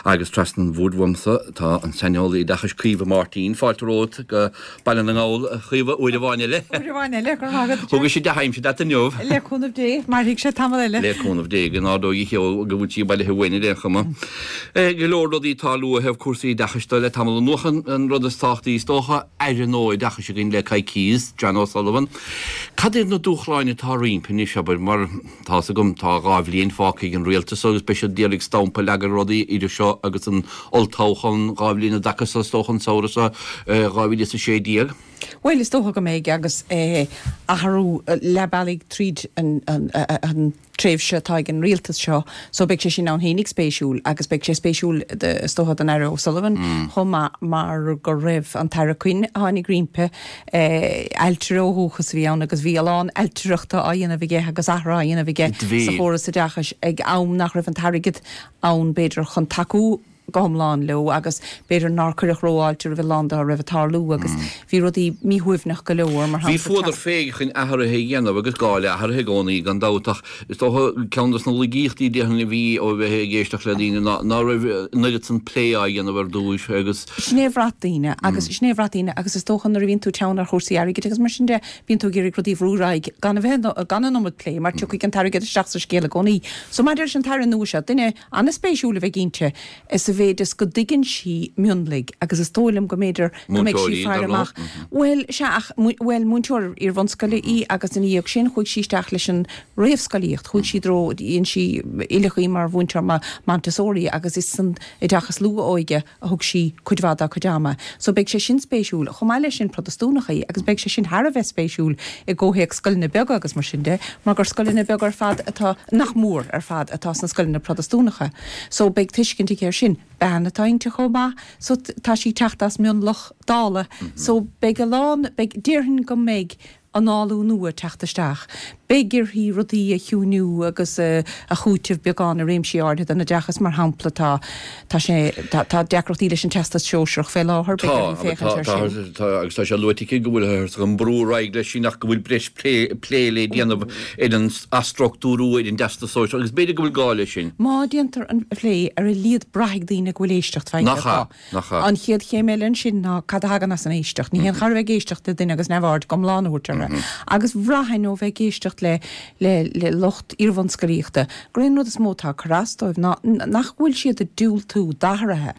Agus trasna an bhoird uaimse tá an saineolaí oideachais Caoimhe Máirtín. Fáilte romhat go Baile na nGall, a Chaoimhe, uair amháin eile. Uair amháin eile, go raibh maith agat. Thógfaidh sé dea-aimsir leat inniu. Le cúnamh Dé, mairfidh sé tamall eile. Le cúnamh Dé, go n-ardóidh a cheo go bhfuil sí bailithe uainn ar aon chuma. Go leor rudaí ag tarlú ó thaobh cúrsaí oideachais de le tamall anuas. An rud is tábhachtaí is dócha, Aire nua Oideachais againn le coicíos, John O'Sullivan. Cad iad na dúshláin atá roimpi anois, abair, mar. Tá's agam, tá 2 bhliain fágtha ag an rialtas agus beidh siad d'iarraidh stampa a leagadh ar rudaí idir seo agus an olltoghchán 2 bhliain i dtaca so is dócha an samhradh seo 2016. Bhuel, is dócha go mbeidh agus athrú leath bealaigh tríd an tréimhse atá ag an rialtas seo so beidh sé sin ann fhéinig spéisiúil agus beidh sé spéisiúil is dócha don Aire O'Sullivan chomh maith mar go raibh an tAire Quinn a tháinig roimpi Ailtire ó dhúchas a bhí ann agus bhí a lán ailtireachta á dhéanamh aige agus athruithe á dhéanamh aige sa chóras oideachais ag am nach raibh an t-airgead ann b'fhéidir chun tacú go hiomlán leo agus b'fhéidir nár cuireadh rófháilte roimh a lán dá raibh ag tarlú agus bhí rudaí míshuaimhneach go leor, mar Bhí shampla fuadar fé chun athruithe a dhéanamh agus gá le hathruithe i gcónaí gan dabht ach Is dócha, ceann de na laigíochtaí déarfainn a bhí ó bheith ag éisteacht le daoine ná ná raibh an oiread san plé á dhéanamh ar dtúis agus. Sin é a bhraith daoine agus sin é a bhraith daoine agus is dócha nuair a bhíonn tú teann ar chúrsaí airgid agus mar sin de, bíonn tú ag iarraidh rudaí a bhrú ar aghaidh gan a bheith, gan an iomad plé mar tiocfaidh an t-airgead isteach sa scéal i gcónaí. So maidir leis an tAire nua seo, duine an-spéisiúil a bheidh inti sa mhéid is go dtuigeann sí mionlaigh agus is dóigh liom go mb'fhéidir go mbeidh sí Múinteoir í, dar faire amach, ndóigh. bhuel, sea, ach, bhuel, múinteoir iar-bhunscoile í agus ina dhiaidh sin chuaigh sí isteach leis an réamhscolaíocht, chuaigh sí i dtreo, dhein sí, oileadh í mar mhúinteoir Montessori agus is san oideachas luath-óige a thug sí cuid mhaith dá cuid ama. So beidh sé sin spéisiúil. Chomh maith leis sin, Protastúnach í agus beidh sé sin thar a bheith spéisiúil i gcomhthéacs scoileanna beaga agus mar sin de, mar gur scoileanna beaga ar fad atá, nach mór ar fad, atá sna scoileanna Protastúnacha. So beidh tuiscint aici air sin. Bean atá inti chomh maith, so tá sí ag teacht as mionlach dála. So beidh a lán, beidh, déarfainn go mbeidh análú nua ag teacht isteach. Beidh uirthi rudaí a chiúiniú agus a chúiteamh beagán i réimsí áirithe den oideachas, mar shampla tá, tá sé, tá, tá deacrachtaí leis an Teastas Sóisearach fé láthair, beidh uirthi féachaint air sin. Tá, agus tá sé luaite aici go bhfuil an brú ar aghaidh leis sin ach go bhfuil breis plé, plé le déanamh ar an athstruchtúrú ar an dTeastas Sóisearach agus b'fhéidir go bhfuil gá leis sin. Má déantar an plé ar a laghad braithfidh daoine go bhfuil éisteacht faighte acu. Nach ea? Nach ea? An chéad chéim eile ansin ná cad a thagann as an éisteacht. Ní haon chor a bheith ag éisteacht le duine agus neamhaird go hiomlán a thabhairt orthu. Agus bhraithfinn ó bheith ag éisteacht le le le lucht iarbhunscolaíochta gur é an rud is mó atá ag cur as dóibh ná nach bhfuil siad ag diúltú d'athruithe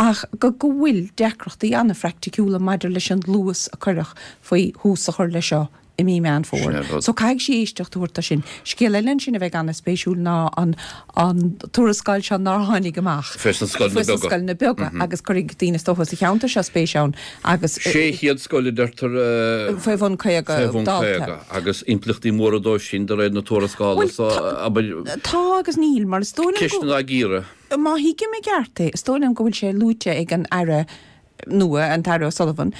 ach go go bhfuil deacrachtaí an-phraiticiúla maidir leis an luas a cuireadh faoi thús a chur leis seo i mí Meán Fómhair. So caithfidh sí éisteacht a thabhairt dó sin. Scéal eile ansin a bheidh an-spéisiúil ná an an tuarascáil seo nár tháinig amach Fé sna scoileanna beaga. scoileanna beaga agus cuirfidh daoine is dócha sa cheantar seo spéis ann agus. 600 scoil a deirtear Faoi bhun 50 Faoi bhun dalta. 50 agus impleachtaí móra dóibh sin de réir na tuarascála Bhuel so abair. tá agus níl mar is dóigh liom go. Ceisteanna á gcíoradh. Má thuigim i gceart é, is dóigh liom go bhfuil sé luaite ag an Aire nua, an tAire O'Sullivan,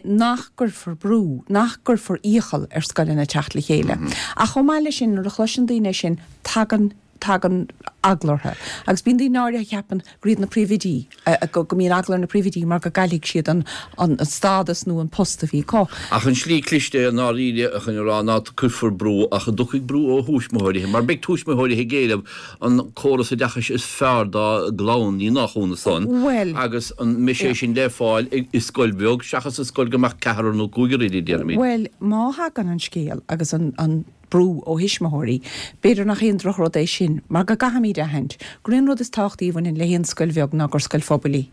nach gcuirfear brú, nach gcuirfear iachall ar scoileanna teacht le chéile. Ach chomh maith leis sin, nuair a chloiseann daoine é sin, tagann, tagann eagla orthu. Agus bíonn daoine áirithe a cheapann gur iad na príomhoidí, go mbíonn eagla ar na príomhoidí mar go gcaillfidh siad an, an stádas nó an post a bhí acu. Ach an slí cliste i ndáiríre chun a rá ná cuirfear brú, ach an dtiocfaidh brú ó thuismitheoirí, mar beidh tuismitheoirí ag éileamh an córas oideachais is fearr dá gclann, ní nach ionadh san, Bhuel, agus an mbeidh sé yeah. sin le fáil i scoil bheag seachas i scoil go mbeadh ceathrar nó cúigear inti, déarfaimid. Bhuel, má thagann an scéal agus an, an brú ó thuismitheoirí, b'fhéidir nach aon drochrud é sin, mar go gcaithfimid a aithint gur é an rud is tábhachtaí a bhaineann le haon scoil bheag ná gur scoil phobail í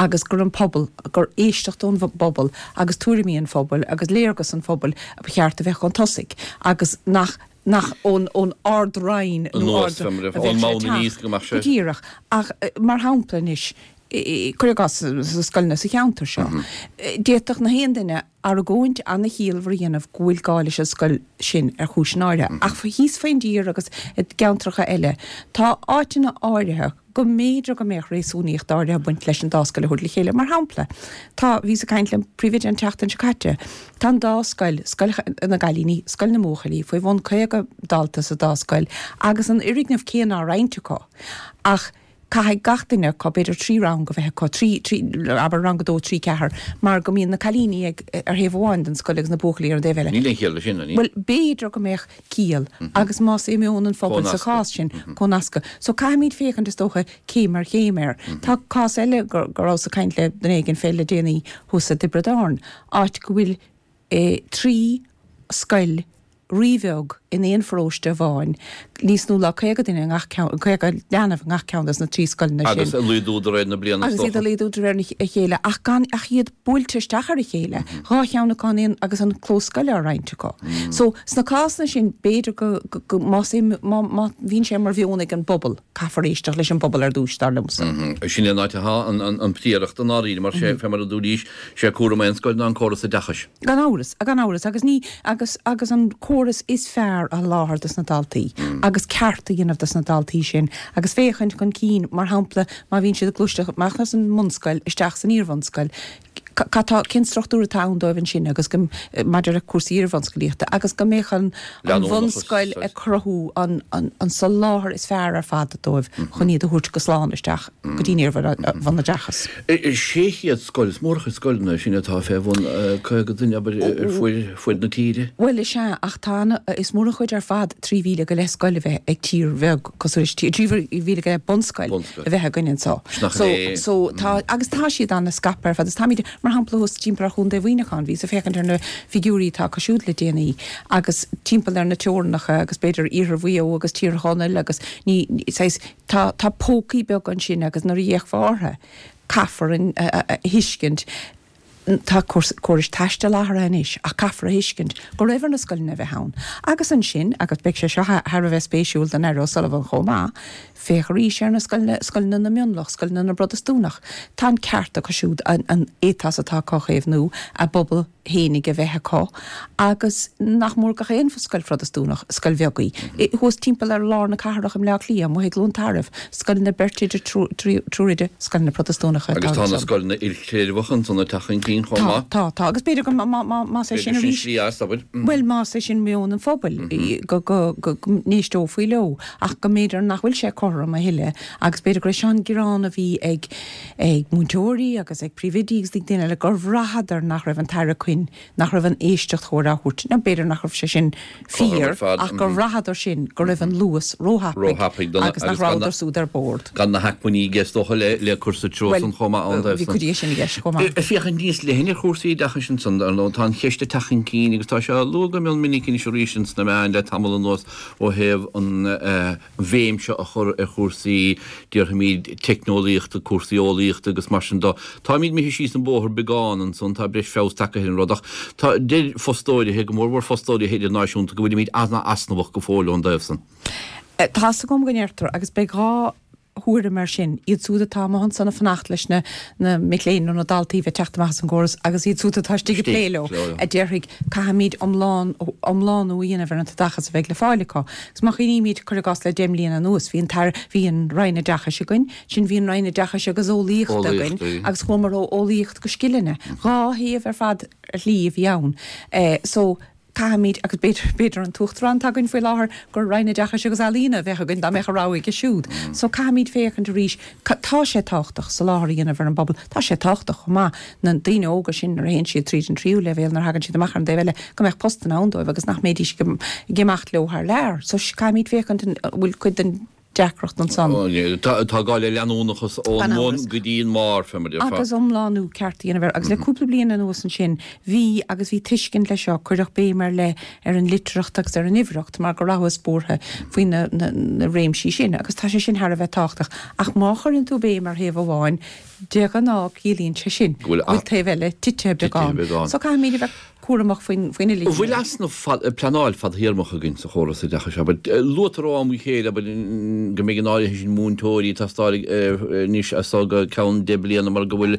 agus gur an pobal, gur éisteacht ón bpobal agus tuairimí an phobail agus léargas an phobail a ba cheart a bheith chun tosaigh agus nach nach ón ón Ard-Roinn nó Anuas, Ard a a bheadh ón sé mbonn ag aníos teacht. go mbeadh Go sé. díreach. Ach mar shampla anois, cuir i gcás sna scoileanna sa cheantar seo, d'fhéadfadh na haon duine argóint an-chiallmhar a dhéanamh go bhfuil gá leis an scoil sin ar chúiseanna áirithe. Ach thíos faoin dtír agus i gceantracha eile, tá áiteanna áirithe, go mb'fhéidir go mbeadh réasúnaíocht áirithe ag baint leis an dá scoil a thabhairt le chéile. Mar shampla, tá, bhíos ag caint le príomhoide an tseachtain seo caite, tá an dá scoil, scoil na gcailíní, scoil na mbuachaillí, faoi bhun 50 dalta sa dá scoil agus an fhoirgneamh céanna á roinnt acu. Ach. Caithfidh gach duine acu, b'fhéidir 3 rang a bheith acu, 3, 3, abair rang 2, 3, 4, mar go mbíonn na cailíní ag, ar thaobh amháin den scoil agus na buachaillí ar an dtaobh eile. Níl aon chiall leis sin, an Bhuel, b'fhéidir go mbeadh ciall agus más é meon an phobail sa chás sin, comhnascadh. So caithfimid féachaint, is dócha, céim ar chéim air. Tá cás eile go rabhas ag caint le duine éigin fé le déanaí thuas i dTiobraid Árann, áit go bhfuil 3 scoil ríbheag in aon pharóiste amháin, níos nó ná 50 duine i ngach ceann, 50 leanbh i ngach ceann des na 3 scoileanna sin. Agus ag laghdú de réir na bliana is dócha. Agus iad ag laghdú de réir a chéile ach gan ach iad buailte isteach ar a chéile, dhá cheann acu in aon agus an clós scoile á roinnt acu. So, sna cásanna sin, b'fhéidir go, go, más é, má, má bhíonn sé mar mheon ag an bpobal, caithfear éisteacht leis an bpobal ar dtúis, dar liomsa. Sin é an áit atá an, an, an phríoracht i ndáiríre mar sé, fé mar a dúraís, sé cúram aon scoil ná an córas oideachais. Gan amhras, gan amhras, agus ní, agus, agus an córas is fearr a sholáthar dos na daltaí, agus ceart a dhéanamh dos na daltaí sin, agus féachaint chun cinn, mar shampla, má bhíonn siad ag gluaiseacht amach as an mbunscoil isteach san iarbhunscoil, cad tá, cén struchtúr atá ann dóibh ansin agus go, maidir le cúrsaí iarbhunscolaíochta, agus go mbeadh an, an bhunscoil ag cruthú an, an, an soláthar is fearr ar fad dóibh chun iad a thabhairt go slán isteach go dtí an iarbhunoideachas. 600 scoil, is mór an chuid scoileanna é sin atá fé bhun 50 duine, abair, ar fuaid na tíre. Bhuel, is ea, ach tá ana, is mór an chuid ar fad 3,000 go leith scoil a bheith ag tír bheag cosúil leis, 3,000 go leith bunscoil a bheith againn anseo. So, so tá, agus tá siad ana-scaipthe ar fad, agus táimid, mar shampla thuas timpeall ar Chontae Mhuineacháin, bhíos ag féachaint ar na figiúirí atá acu siúd le déanaí, agus timpeall ar na teorannacha agus b'fhéidir iarthar Mhaigh Eo agus Tír Chonaill agus ní, saghas, Tá, tá pócaí beaga ansin agus nuair a fhéachfá orthu, caithfear a thuiscint, tá córais taistil athraithe anois ach caithfear a thuiscint go raibh ar na scoileanna a bheith ann. Agus ansin, agus beidh sé seo thar a bheith spéisiúil don Aire O'Sullivan chomh maith, féach arís ar na scoileanna, scoileanna na mionlach, scoileanna na bProtastúnach, tá an ceart acu siúd an ethos atá acu a chaomhnú, a bpobal, fhéinig a bheith acu agus nach mór gach aon scoil Phrotastúnach, scoil bheag í, thuas timpeall ar lár na cathrach i mBleá Cliath, amuigh i gCluain Tarbh, scoileanna beirt oide, triúr oide, scoileanna Protastúnacha atá Agus tá na scoileanna ilchreidmheacha ansan ag teacht chun cinn chomh maith. Tá, tá, tá, agus b'fhéidir go, má, má, más é sin arís, slí as, abair. Bhuel, más é sin meon an phobail, go, go, go, go n-éisteofaí leo, ach go mb'fhéidir nach bhfuil sé cothrom a thuilleadh agus b'fhéidir gur é seo an gearán a bhí ag, ag múinteoirí agus ag príomhoidí agus ag daoine eile gur bhraitheadar nach raibh an tAire Quinn, nach raibh an éisteacht chóir á thabhairt. Now b'fhéidir nach raibh sé sin fíor ach gur bhraitheadar sin go raibh an luas róthapaidh agus nach rabhadar siúd ar bord. Gan na hacmhainní i gceist is dócha le cur sa treo san chomh maith ann dóibh. Bhí cuid de sin i gceist chomh maith. Ag féachaint níos leithne ar chúrsaí oideachais ansan, ar ndóigh, tá an cheist ag teacht chun cinn agus tá sé á lua go mion minic anois arís ins na meáin le tamall anuas ó thaobh an bhéim seo a chur ar chúrsaí, déarfaimid, teicneolaíochta, cúrsaí eolaíochta agus mar sin de. Táimid imithe síos an bóthar beagán ansan, tá breis feabhas tagtha ar an rud ach tá, deir fostóirithe, go mórmhór fostóirithe idirnáisiúnta, go bhfuilimid an-easnamhach go fóill ón dtaobh san. Tá's agam go ndeirtear, agus beidh 2 thuairim air sin, iad siúd atá amuigh ansan ag fanacht leis na na mic léinn nó na daltaí a bheith ag teacht amach as an gcóras agus iad siúd atá istigh ag plé leo, a déarfaidh, caithfimid iomlán, iomlánú a dhéanamh ar an t-oideachas a bheidh le fáil acu. Agus má chuimhnímid, cuir i gcás, le deich mbliana anuas, bhí an tAire, bhí an Roinn Oideachais againn, ansin bhí an Roinn Oideachais agus Eolaíochta againn agus chuamar ó eolaíocht go scileanna. Dhá thaobh ar fad ar shlí a bhí ann. So, caithfimid, agus b'fhéidir, b'fhéidir an tUachtarán atá againn faoi láthair, gur Roinn Oideachais agus Ealaíona a bheadh againn dá mbeadh a rogha aige siúd. So caithfimid féachaint arís, tá sé tábhachtach soláthar a dhéanamh ar an bpobal, tá sé tábhachtach chomh maith na daoine óga sin nuair a théann siad tríd an tríú leibhéal, nuair a thagann siad amach ar an dtaobh eile, go mbeadh postanna ann dóibh agus nach mbeidís ag imeacht leo thar lear. So caithfimid féachaint an bhfuil cuid den deacracht ansan. Tá gá le leanúnachas ón mbun go dtí an mbarr, fé mar a déarfá. Agus iomlánú ceart a dhéanamh air. Agus le cúpla bliain anuas ansin, bhí, agus bhí tuiscint leis seo, cuireadh béim ar leith ar an litearthacht agus ar an uimhearthacht mar go rabhthas buartha faoi na réimsí sin. Agus tá sé sin thar a bheith tábhachtach. Ach má chuireann tú béim ar thaobh amháin, de ghnáth ciallaíonn sé sin go bhfuil taobh eile tite beagán. So caithfimid a bheith cúramach faoin uile An bhfuil easnamh pleanáil fadthéarmach againn sa chóras oideachais, abair? Luaitear ó am go chéile, abair, go mbeidh an áirithe sin múinteoirí ag teastáil anois as so go ceann deich bliana mar go bhfuil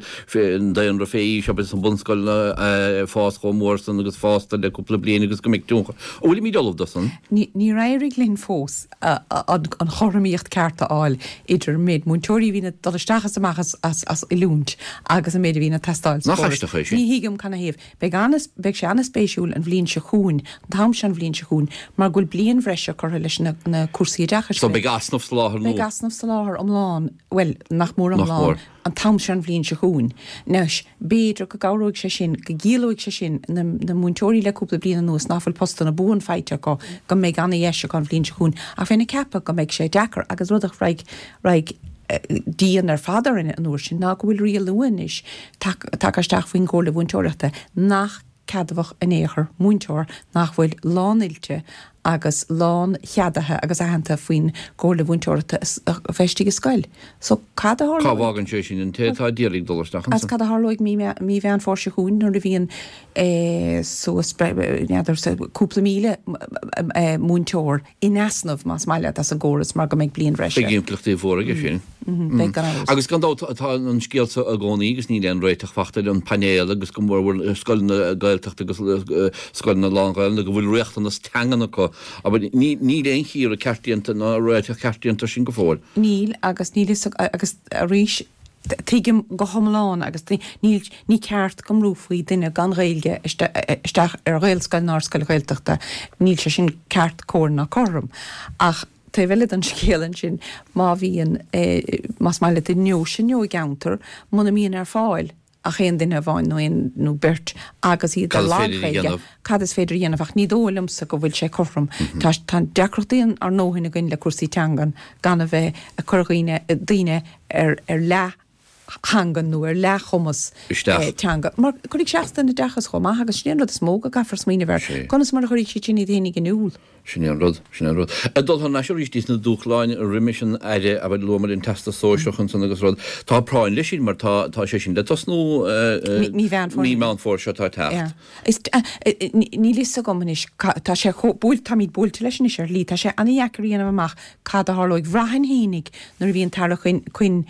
an daonra fé aois, abair, sna bunscoileanna ag fás chomh mór san agus fásta le cúpla bliain agus go mbeidh tionchar. An bhfuilimid ullamh do san? Níor éirigh linn fós an chothromaíocht ceart a fháil idir an méid múinteoirí a bhíonn ag dul isteach is amach as oiliúint agus an méid a bhíonn ag teastáil sa chóras. Nach aisteach é sin? Ní thuigim canathaobh. Beidh an, beidh. beidh sé an-spéisiúil an bhliain seo chugainn, an t-am seo an bhliain seo chugainn, mar go bhfuil bliain bhreise curtha leis na cúrsaí oideachais. So beidh easnamh soláthair nua. Beidh easnamh soláthair iomlán, bhuel, nach mór iomlán, an t-am seo an bhliain seo chugainn. Anois, b'fhéidir go gcabhróidh sé sin, go gciallóidh sé sin na múinteoirí le cúpla bliain anuas ná fuil postanna buan faighte acu, go mbeidh ana-dheis acu an bhliain seo chugainn. Ach bheinn ag ceapadh go mbeidh sé deacair agus rud a raghaidh, raghaidh dian ar fad orainn an uair sin ná go bhfuil riail nua anois tagtha isteach faoin gComhairle Mhúinteoireachta nach ceadmhach in aon chor múinteoir nach bhfuil lán-oilte agus lán-cheadaithe agus aitheanta faoin gComhairle Mhúinteoireachta a bheith istigh i scoil. So cad a Cá tharlóidh? bhfágann sé sin an té atá ag iarraidh dul isteach Agus ansan? cad a tharlóidh mí mí Mheán Fómhair seo chugainn nuair a bhíonn suas n'fheadar cúpla míle múinteoir in easnamh, más maith leat, as an gcóras mar go mbeidh bliain bhreise. Beidh impleachtaí mhóra aige sin. Beidh, gan amhras. Agus gan dabht tá an scéal seo i gcónaí agus níl aon réiteach fachta air, an painéal agus go bhfuil scoileanna Gaeltachta agus scoileanna lán-Ghaelainne go bhfuil riachtanas teangan acu. Abair, níl aon chíoradh ceart déanta ná réiteach ceart déanta air sin go fóill. Níl agus níl fhios agus arís tuigim go hiomlán agus níl, ní ceart go mbrúfaí duine gan Ghaeilge isteach ar Ghaelscoil ná ar scoil Ghaeltachta, níl sé sin ceart, cóir ná cothrom. Ach taobh eile den scéal ansin, má bhíonn, más maith leat, i ndeoise nó i gceantar, muna mbíonn ar fáil ach aon duine amháin nó aon nó beirt agus iad ar lag-Ghaeilge, cad is féidir a dhéanamh? Ach ní dóigh liomsa go bhfuil sé cothrom. Tá, tá deacrachtaí ár ndóthain againn le cúrsaí teangan gan a bheith ag cur dhaoine, daoine ar ar leath-theangain nó ar leath-chumas teanga. Mar cuirfidh sé as don oideachas chomh maith agus sin é an rud is mó go gcaithfear smaoineamh air, conas mar a chuirfidh siad sin iad fhéinig in iúl. Sin é an rud, sin é an rud. Ag dul thar n-ais arís dtí na dúshláin roimis an Aire, abair, luamar an Teastas Sóisearach ansan agus rud. Tá práinn leis sin mar tá, tá sé sin le tosnú Mí Mheán Fómhair. Mí Meán Fómhair seo atá ag teacht. Yeah. Is, níl fhios agam anois, tá sé chomh, buailte, táimid buailte leis anois ar shlí, tá sé ana-dheacair a dhéanamh amach cad a tharlóidh. Bhraithfinn fhéinig nuair a bhí an tAire Quinn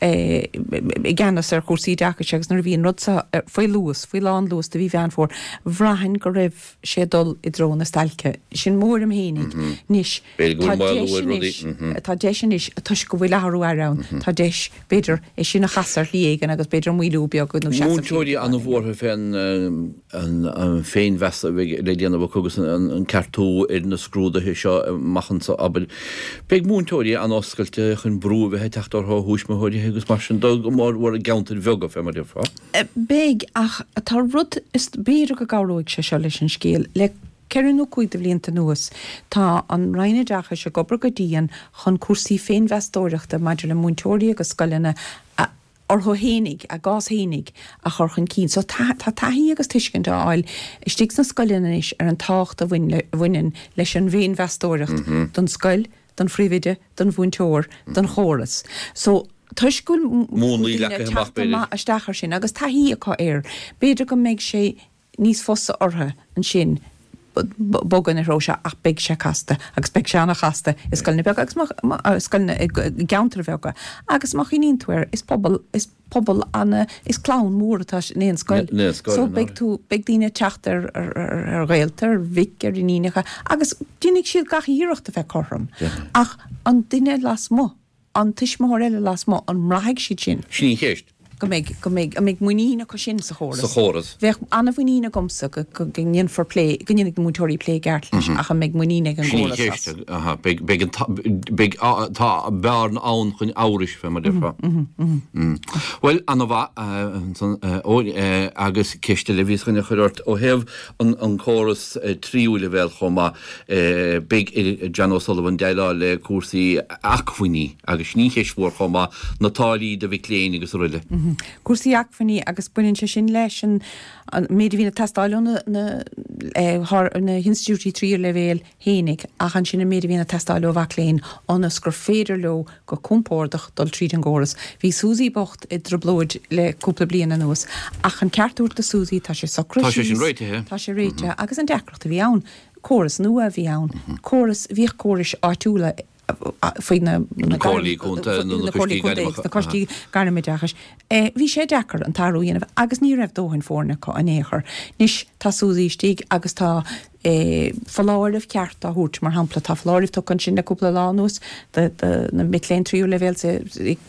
i gceannas ar chúrsaí oideachais agus nuair a bhí an rud seo faoi luas, faoi lán luas do mhí Mheán Fómhair, bhraithfinn go raibh sé ag dul i dtreo na stailce. Sin mo thuairim fhéinig. Anois, tá deis anois, tá deis anois, toisc go bhfuil athrú aire ann, tá deis, b'fhéidir, é sin a chasadh ar shlí éigin agus b'fhéidir maolú beag nó seasamh Múinteoirí an-bhuartha fén an féinmheas a bheidh le déanamh acu agus an ceartú ar na scrúduithe seo amach anseo, abair. Beidh múinteoirí an-oscailte chun brú a bheith ag teacht orthu ó thuismitheoirí agus mar sin de, go mór mhór i gceantair bheaga, fé mar a déarfá. Beidh, ach tá rud, is b'fhéidir go gcabhróidh sé seo leis an scéal. Le ceithre nó cúig de bhlianta anuas, tá an Roinn Oideachais ag obair go dian chun cúrsaí féinmheastóireachta maidir le múinteoirí agus scoileanna a orthu fhéinig, a gcás fhéinig, a chur chun cinn. So tá taithí agus tuiscint á fháil istigh sna scoileanna anois ar an tábhacht a bhaineann leis an bhféinmheastóireacht don scoil, don phríomhoide, don mhúinteoir, don chóras. So toisc go bhfuil daoine ag teacht amach isteach air sin agus taithí acu air, b'fhéidir go mbeidh sé níos fusa orthu ansin bogadh ina threo seo ach beidh sé casta agus beidh sé an-chasta i scoileanna beaga agus má, scoileanna i gceantair bheaga agus má chuimhníonn tú air is pobal, is pobal ana, is clann mór atá in aon scoil so beidh tú, beidh daoine ag teacht ar ar ghaolta, ar mhic, ar iníonacha agus déanfaidh siad gach iarracht a bheith cothrom ach an duine lasmuigh. an tuismitheoir eile lasmuigh, an mbraithfidh siad sin? Sin í an cheist. Go mbeidh, go mbeidh, an mbeidh muinín acu sin sa chóras? Sa chóras. Bheadh an-mhuinín agamsa go, go, go ndéanfar plé, go ndéanfaidh na múinteoirí plé i gceart leis ach an mbeidh muinín ag an Sin í an gcóras as? cheist. Aha, beidh, beidh an t-, beidh, tá bearna ann chun amhrais, fé mar a déarfá. Bhuel, ana-mhaith, ansan, Eoin, agus ceist eile a bhíos chun a chur ort, ó thaobh an, an córas tríú leibhéal chomh maith, beidh ar John O'Sullivan déileáil le cúrsaí acmhainní agus sin í an cheist mhór chomh maith, na táillí do mhic léinn agus araile. Cúrsaí acmhainní agus baineann sé sin leis an méid a bhíonn ag teastáil ó na na hinstitiúidí tríú leibhéal fhéinig ach ansin an méid a bhíonn ag teastáil ó mhac léinn ionas gur féidir leo go compordach dul tríd an gcóras. Bhí Suzy bocht i dtrioblóid le cúpla bliain anuas ach an ceart a thabhairt do Suzy tá sé socraithe Tá sé sin réitithe. Tá sé réitithe agus an deacracht a bhí ann, córas nua a bhí ann, córas, bhíodh córais áitiúla faoi na comhairlí contae nó na coistí gairmeacha. Na coistí gairmoideachais. Bhí sé deacair an t-athrú a dhéanamh agus ní raibh dóthain foirne acu in aon chor. Anois tá Suzy istigh agus tá foláireamh ceart á thabhairt, mar shampla tá foláireamh tugtha ansin le cúpla lá anuas do na mic léinn tríú leibhéal i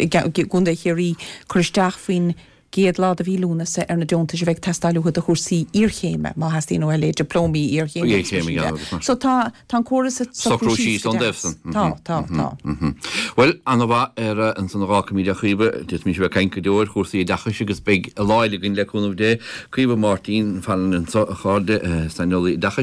gContae Chiarraí cur isteach faoin. gcéad lá de mhí Lúnasa ar na deontais a bheidh ag teastáil uathu do chúrsaí iarchéime, má theastaíonn uathu a leithéid dioplómaí iarchéime agus mar sin de. So tá, tá an córas ag socrú síos go deas. Tá, tá, tá. Bhuel, an-mhaith ar ansan a dh'fhágfaimid a Chaoimhe, d'fhéadfaimis a bheith ag caint go deo ar chúrsaí oideachais agus beidh lá eile againn le cúnamh Dé. Caoimhe Máirtín Fallon anso, a chairde, saineolaí oideachais.